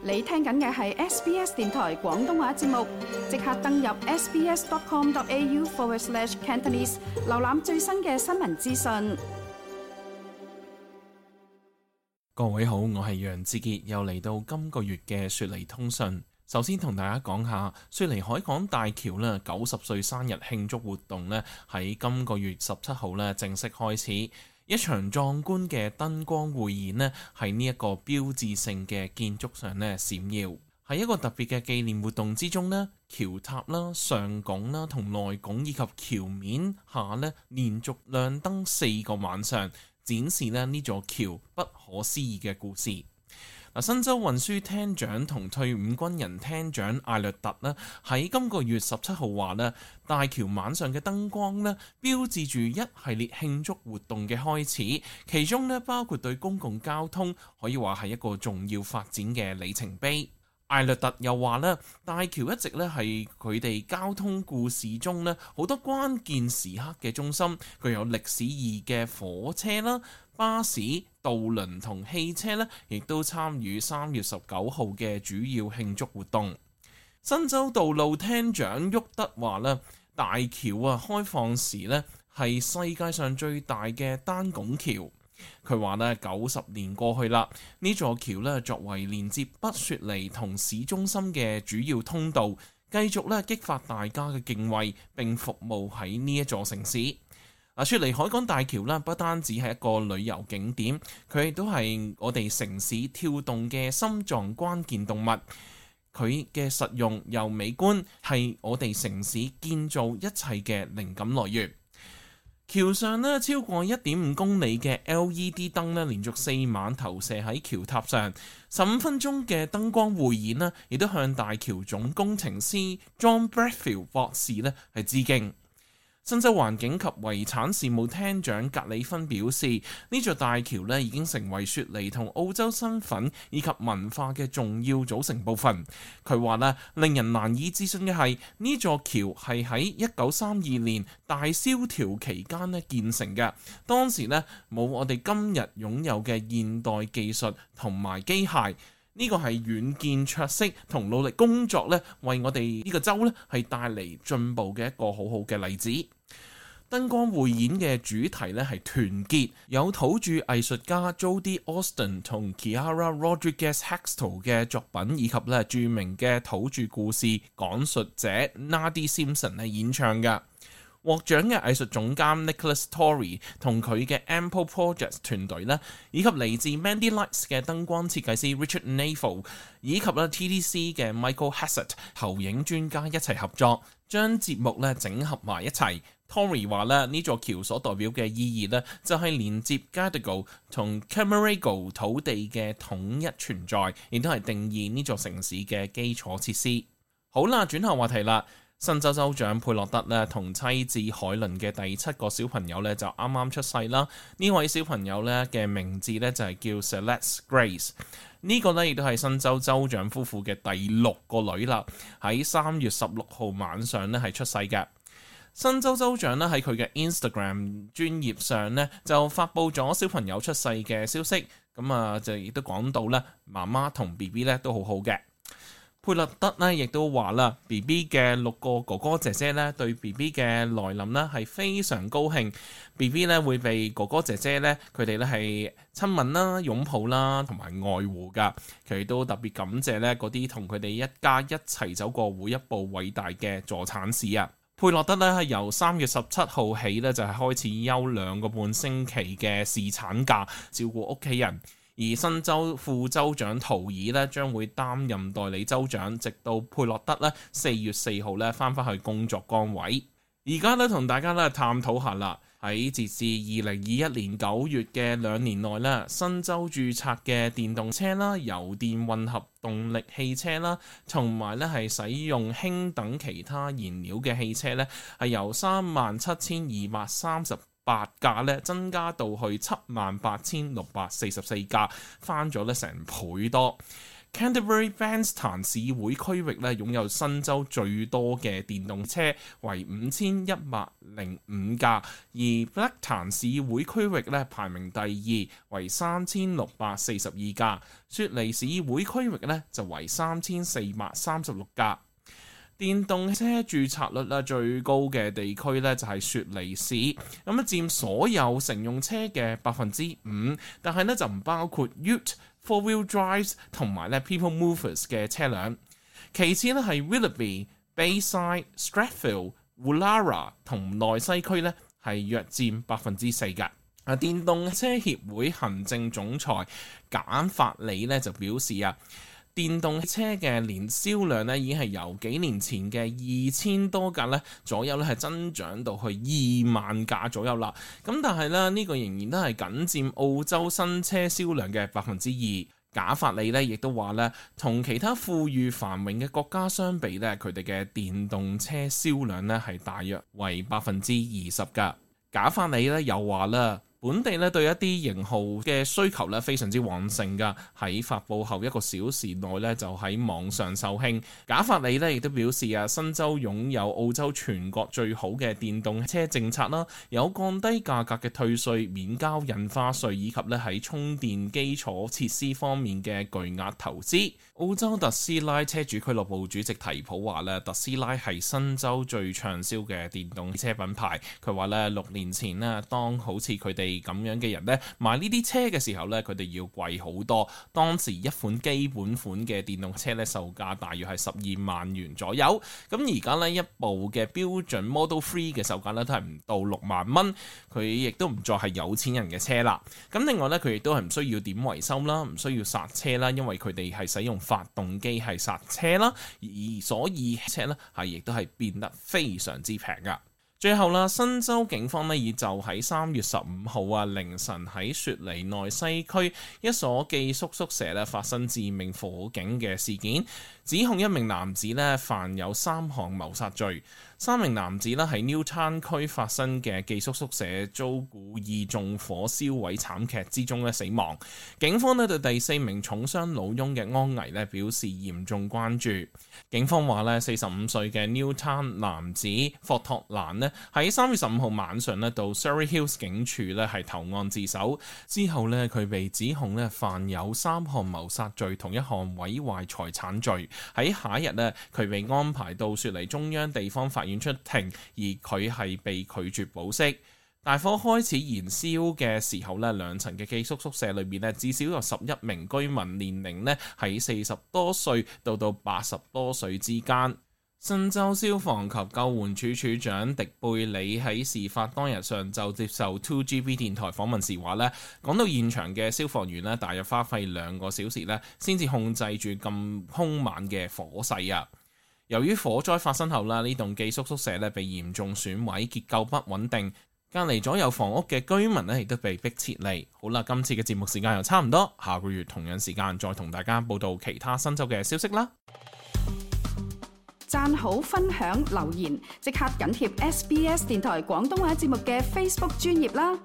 你聽緊嘅係 SBS 電台廣東話節目，即刻登入 sbs.com.au/Cantonese 瀏覽最新嘅新聞資訊。各位好，我係楊志傑，又嚟到今個月嘅雪梨通訊。首先同大家講下雪梨海港大橋咧90歲生日慶祝活動咧喺今個月17號咧正式開始。一場壯觀嘅燈光匯演咧喺呢一個標誌性嘅建築上咧閃耀。喺一個特別嘅紀念活動之中咧，橋塔啦、上拱啦同內拱以及橋面下咧連續亮燈4個晚上，展示咧呢座橋不可思議嘅故事。新州運輸廳長同退伍軍人廳長艾略特咧喺今個月17號話咧，大橋晚上嘅燈光咧標誌住一系列慶祝活動嘅開始，其中咧包括對公共交通可以話係一個重要發展嘅里程碑。艾略特又話咧，大橋一直咧係佢哋交通故事中咧好多關鍵時刻嘅中心，具有歷史意義嘅火車啦、巴士、渡輪同汽車咧，亦都參與3月19號嘅主要慶祝活動。新州道路廳長沃德話咧，大橋開放時咧係世界上最大嘅單拱橋。佢話咧，90年過去啦，呢座橋咧作為連接北雪梨同市中心嘅主要通道，繼續咧激發大家嘅敬畏，並服務喺呢一座城市。雪梨海港大橋咧不單止係一個旅遊景點，佢亦都係我哋城市跳動嘅心臟關鍵動物。佢嘅實用又美觀，係我哋城市建造一切嘅靈感來源。橋上咧超過 1.5 公里嘅 LED 燈咧，連續4晚投射喺橋塔上。15分鐘嘅燈光匯演咧，亦都向大橋總工程師 John Bradfield 博士咧係致敬。新州環境及遺產事務廳長格里芬表示，呢座大橋咧已經成為雪梨同澳洲身份以及文化嘅重要組成部分。佢話咧，令人難以置信嘅係呢座橋係喺1932年大蕭條期間咧建成嘅，當時咧冇我哋今日擁有嘅現代技術同埋機械。呢個係遠見卓識同努力工作咧，為我哋呢個州咧係帶嚟進步嘅一個好好嘅例子。燈光匯演嘅主題咧係團結，有土著藝術家 Jodie Austin 同 Kiara Rodriguez Hextall 嘅作品，以及咧著名嘅土著故事講述者 Nadie Simpson 係演唱嘅。獲獎嘅藝術總監 Nicholas Torrey 同佢嘅 Ample Projects 團隊咧，以及嚟自 Mandy Lights 嘅燈光設計師 Richard Navel， 以及咧 TDC 嘅 Michael Hassett 投影專家一齊合作，將節目咧整合埋一齊。Torrey 話咧，呢座橋所代表嘅意義咧，就係連接 Gadigal 同 Cammeraygal 土地嘅統一存在，亦都係定義呢座城市嘅基礎設施。好啦，轉下話題啦。新州州長佩洛德咧同妻子海倫嘅第7個小朋友咧就啱啱出世啦。呢位小朋友咧嘅名字咧就係叫 Celeste Grace。呢個咧亦都係新州州長夫婦嘅第6個女啦。喺3月16號晚上咧係出世嘅。新州州長咧喺佢嘅 Instagram 專頁上咧就發布咗小朋友出世嘅消息。咁就亦都講到咧媽媽同 BB 咧都好好嘅。佩洛德咧亦都話啦 ，BB 嘅6個哥哥姐姐咧對 BB 嘅來臨咧係非常高興。BB 咧會被哥哥姐姐咧佢哋咧係親吻啦、擁抱啦同埋愛護噶。佢哋都特別感謝咧嗰啲同佢哋一家一齊走過每一步偉大嘅助產士啊！佩洛德咧係由3月17號起咧就係開始休2個半星期嘅侍產假，照顧屋企人。而新州副州長圖爾咧將會擔任代理州長，直到佩洛德咧4月4號咧翻返去工作崗位。而家咧同大家咧探討下啦，喺截至2021年9月嘅2年內咧，新州註冊嘅電動車啦、油電混合動力汽車啦，同埋咧係使用氫等其他燃料嘅汽車咧，係由37,238架咧增加到去78,644架，翻咗咧成倍多。Canterbury Bankstown 市會區域咧擁有新州最多嘅電動車，為5105架，而 Blacktown 市會區域咧排名第2，為3642架，雪梨市會區域咧就為3436架。電動車註冊率最高嘅地區咧就係雪梨市，咁佔所有乘用車嘅5%，但係咧就唔包括 Ute、Four-wheel drives 同埋咧 People Movers 嘅車輛。其次咧係 Willoughby、Bayside、Strathfield、Woollahra 同內西區咧係約佔4%嘅。電動車協會行政總裁簡法里咧就表示電動車嘅年銷量咧已經係由幾年前嘅2000多架咧左右咧係增長到去2萬架左右啦。咁但係咧呢個仍然都係僅佔澳洲新車銷量嘅2%。賈法里咧亦都話咧，同其他富裕繁榮嘅國家相比咧，佢哋嘅電動車銷量咧係大約為20%㗎。賈法里咧又話啦，本地咧對一啲型號嘅需求咧非常之旺盛㗎，喺發佈後1個小時內咧就喺網上售罄。賈法里咧亦都表示新州擁有澳洲全國最好嘅電動車政策啦，有降低價格嘅退稅、免交印花稅，以及咧喺充電基礎設施方面嘅巨額投資。澳洲特斯拉車主俱樂部主席提普話咧，特斯拉係新州最暢銷嘅電動車品牌。佢話咧6年前咧，當好似佢哋咁樣嘅人咧買呢啲車嘅時候咧，佢哋要貴好多。當時一款基本款嘅電動車咧售價大約係12萬元左右。咁而家呢，一部嘅標準 Model 3嘅售價咧都係唔到6萬蚊。佢亦都唔再係有錢人嘅車啦。咁另外咧，佢亦都係唔需要點維修啦，唔需要剎車啦，因為佢哋係使用發動機係剎車啦，而所以車咧係亦都係變得非常之平噶。最後啦，新州警方呢，已就喺3月15號凌晨喺雪梨內西區一所寄宿宿舍咧發生致命火警嘅事件，指控一名男子咧犯有3項謀殺罪。3名男子咧喺 Newtown 區發生嘅寄宿宿舍遭故意縱火燒毀慘劇之中咧死亡。警方咧對第4名重傷老翁嘅安危咧表示嚴重關注。警方話咧45歲嘅 Newtown 男子霍托蘭咧喺3月15號晚上咧到 Surrey Hills 警署咧係投案自首，之後咧佢被指控咧犯有3項謀殺罪同1項毀壞財產罪。喺下一日咧佢被安排到雪梨中央地方法院出庭，而佢係被拒絕保釋。大火開始燃燒嘅時候咧，2層嘅寄宿宿舍裏面咧至少有11名居民，年齡咧喺40多歲到80多歲之間。新州消防及救援處處長迪貝里喺事發當日上晝接受 2GB 電台訪問時話咧，講到現場嘅消防員咧，大約花費2個小時咧先至控制住咁兇猛嘅火勢啊！由於火災發生後啦，呢棟寄宿宿舍咧被嚴重損毀，結構不穩定，隔離左右房屋嘅居民咧亦都被迫撤離。好啦，今次嘅節目時間又差唔多，下個月同樣時間再同大家報道其他新州嘅消息啦。讚好、分享、留言，即刻緊貼SBS 電台廣東話節目嘅 Facebook 專頁啦！